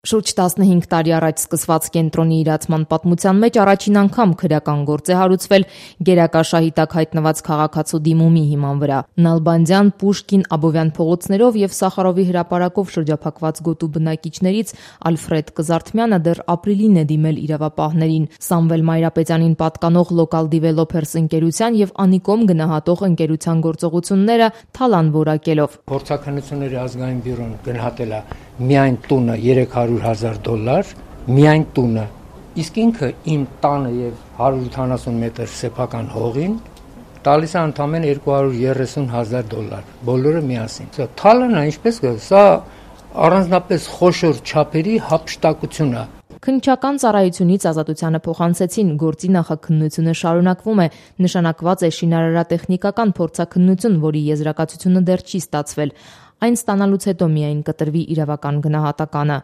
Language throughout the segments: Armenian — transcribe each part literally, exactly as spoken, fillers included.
Շուրջ տասնհինգ տարի առաջ սկսված կենտրոնի իրացման պատմության մեջ առաջին անգամ քրեական գործ է հարուցվել գերակա շահի տակ հայտնված քաղաքացու դիմումի հիման վրա։ Նալբանդյան, Պուշկին, Աբովյան փողոցներով եւ Սախարովի հրապարակով շրջափակված գոտու բնակիչներից Ալֆրեդ Կզարթմյանը դեռ ապրիլին է դիմել իրավապահներին։ Սամվել Մայրապետյանին պատկանող Local Developers ընկերության եւ Անիկոմ գնահատող ընկերության գործողությունները թալան որակելով։ Փորձաքննությունների ազգային բյուրոն գնահատել է միայն տունը երեք հարյուր հազար դոլար, միայն տունը, իսկ ինքը իմ տանը եւ հարյուր ութանասուն մետր սեփական հողին տալիս է ընդամենը երկու հարյուր երեսուն հազար դոլար, բոլորը միասին։ Սա թալն է, ինչպես կա, սա առանձնապես խոշոր չափերի հափշտակություն է։ Քննչական ծառայությունից ազատությանը փոխանցեցին, գործի նախաքննությունը շարունակվում է, նշանակված է շինարարատեխնիկական փորձաքննություն, որի եզրակացությունը դեռ չի ստացվել։ Այն ստանալուց հետո միայն կտրվի իրավական գնահատականը։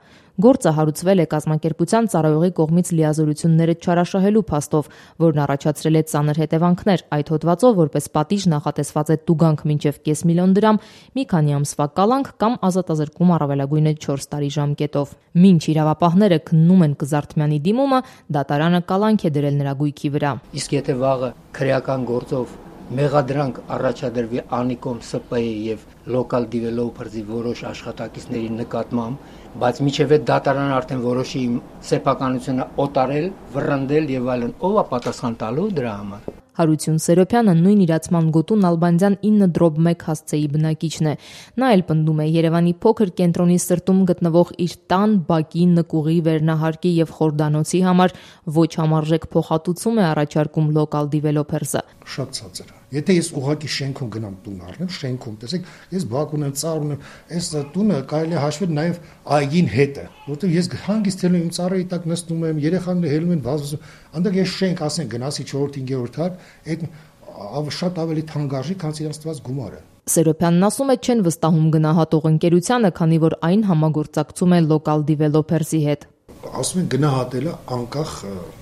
Գործը հարուցվել է կազմակերպության ծառայողի կողմից լիազորությունները չարաշահելու փաստով, որն առաջացրել է ծանր հետևանքներ։ Այդ հոդվածով որպես պատիժ նախատեսված է տուգանք մինչև կես միլիոն դրամ, մի քանի ամսվա կալանք կամ ազատազրկում առավելագույնը չորս տարի ժամկետով։ Մինչ իրավապահները քննում են Կզարթմյանի դիմումը, դատարանը կալանք է դրել նրա գույքի վրա։ Իսկ եթե վաղը քրեական գործով մեղադրանք առաջադրվի Անիկոմ Ս Պ Է եւ Local Developers-ի որոշ աշխատակիցների նկատմամբ, բայց միջև այդ դատարանը արդեն որոշի իմ սեփականությունը օտարել, վռնդել եւ այլն, ով է պատասխան տալու դրա համար։ Հարություն Սերոփյանը նույն իրացման գոտու Նալբանդյան ինը դրոբ մեկ հասցեի բնակիչն է։ Նա էլ պնդում է Երևանի փոքր կենտրոնի սրտում գտնվող իր տան, բակի, նկուղի, վերնահարկի եւ խորդանոցի համար ոչ համարժեք փոխհատուցում է առաջարկում Local Developers-ը։ Շատ ցածր է։ Եթե ես ուղղակի շենքում գնամ տուն առնեմ, շենքում, տեսեք, ես բակ ունեմ, ծառ ունեմ, այս տունը կարելի է հաշվել նաեւ այգին հետ է, որտեղ ես հանգիստելու իմ ծառերի տակ նստում եմ, երեխաները հելում են, վազվզում, այնտեղ ես շենք, ասենք, գնացի չորրորդ հինգերորդ հատ, այդ շատ ավելի թանկարժի, քան իրենց տված գումարը։ Սերոփյանն ասում է չեն վստահում գնահատող ընկերությանը, քանի որ այն համագործակցում է Local Developers-ի հետ։ Ասում են գնահատելը անկախ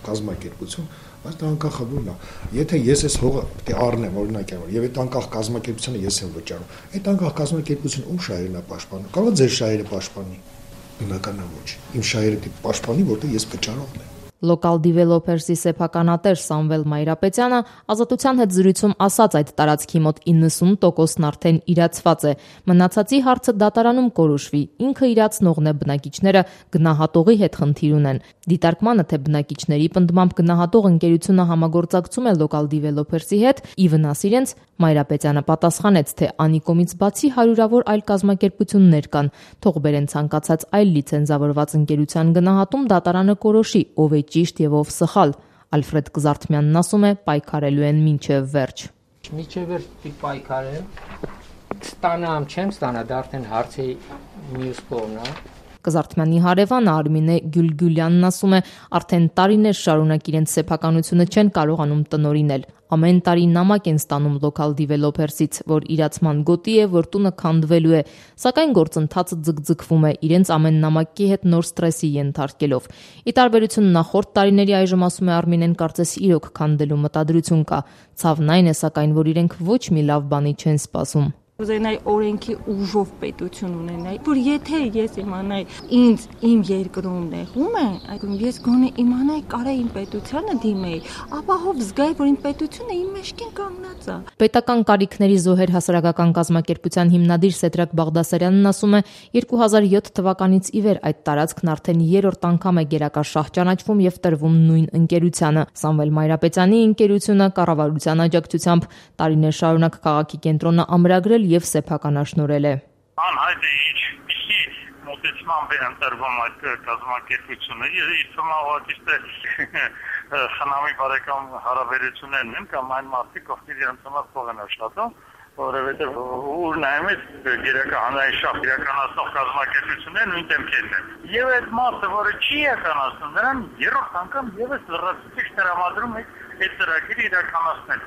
կազմակերպություն, բայց դա անկախաբույն է։ Եթե ես այս հողը պետք է առնեմ, օրինակ, եւ այդ անկախ կազմակերպությունը ես եմ վճարում, այդ անկախ կազմակերպությունը ում շահերն է պաշտպանում։ Կարող է ձեր շահերը պաշտպանի։ Բնական է ոչ։ Իմ շահերը դի պաշտպանի, որտեղ ես վճարողն եմ։ Local Developers-ի սեփականատեր Սամվել Մայրապետյանը ազատության հետ զրույցում ասաց այդ տարածքի մոտ իննսուն տոկոսն արդեն իրացված է։ Մնացածի հարցը դատարանում կորոշվի։ Ինքը իրացնողն է, բնակիչները գնահատողի հետ խնդիր ունեն։ Դիտարկմանը, թե բնակիչների պնդմամբ գնահատող ընկերությունը համագործակցում է Local Developers-ի հետ, ի վնաս իրենց, Մայրապետյանը պատասխանեց, թե Անիկոմից բացի հարյուրավոր այլ կազմակերպություններ կան։ Թող բերեն ցանկացած այլ լիցենզավորված ընկերության գնահատում, դատարանը կորոշի, ով է ճիշտ եւ ով սխալ։ Ալֆրեդ Կզարթմյանն ասում է, պայքարելու են մինչեւ վերջ։ Մինչեւ վերջ պայքարել, ստանամ, չեմ ստանա, դա արդեն հարցի մյուս կողմն է։ Կզարթմյանի հարևանը Արմինե Գյուլգյուլյանն ասում է, արդեն տարիներ շարունակ իրենց սեփականությունը չեն կարողանում տնօրինել։ Ամեն տարի նամակ են ստանում Local Developers-ից, որ իրացման գոտի է, որ տունը քանդվելու է, սակայն գործընթացը ձգձգվում է, իրենց ամեն նամակի հետ նոր ստրեսի ենթարկելով։ Ի տարբերություն նախորդ տարիների, այժմ ասում է Արմինեն, կարծես իրոք քանդելու մտադրություն կա։ Ցավն այն է, սակայն, որ իրենք ոչ մի լավ բանի չեն սպասում։ Ուզենայի օրենքի ուժով պետություն ունենայի, որ եթե ես իմանայի ինձ իմ երկրում նեղում է, այդում ես գոնե իմանայի կարա իմ պետությանը դիմեի, ապահով զգայի, որ իմ պետությունը իմ մեջքին կանգնած է։ Պետական կարիքների զոհեր հասարակական կազմակերպության հիմնադիր Սեդրակ Բաղդասարյանն ասում է, երկու հազար յոթ թվականից ի վեր այդ տարածքն արդեն երրորդ անգամ է գերակա շահ ճանաչվում եւ տրվում նույն ընկերությանը։ Սամվել Մայրապետյանի ընկերությունը կառավարության աջակցությամբ տարիներ շարունակ քաղաքի կենտրոնը ամրագրել եւ սեփականաշնորհել է։ Անհայտ է ինչ պիսի մոտեցմամբ է ընտրվում այդ կազմակերպությունը։ Իր թվում է խնամի բարեկամ հարաբերություններն են կամ այն մարդիկ, ովքեր իրենց համար փող են աշխատում, որովհետեւ ուր նայում ես գերակա հանրային շահ իրականացնող կազմակերպությունները նույն դեմքերն են։ Եվ այդ մարդը, որը չի իրականացնում, նրան երրորդ անգամ եւս լրացուցիչ տրամադրում է այդ ծրագիրը իրականացնել։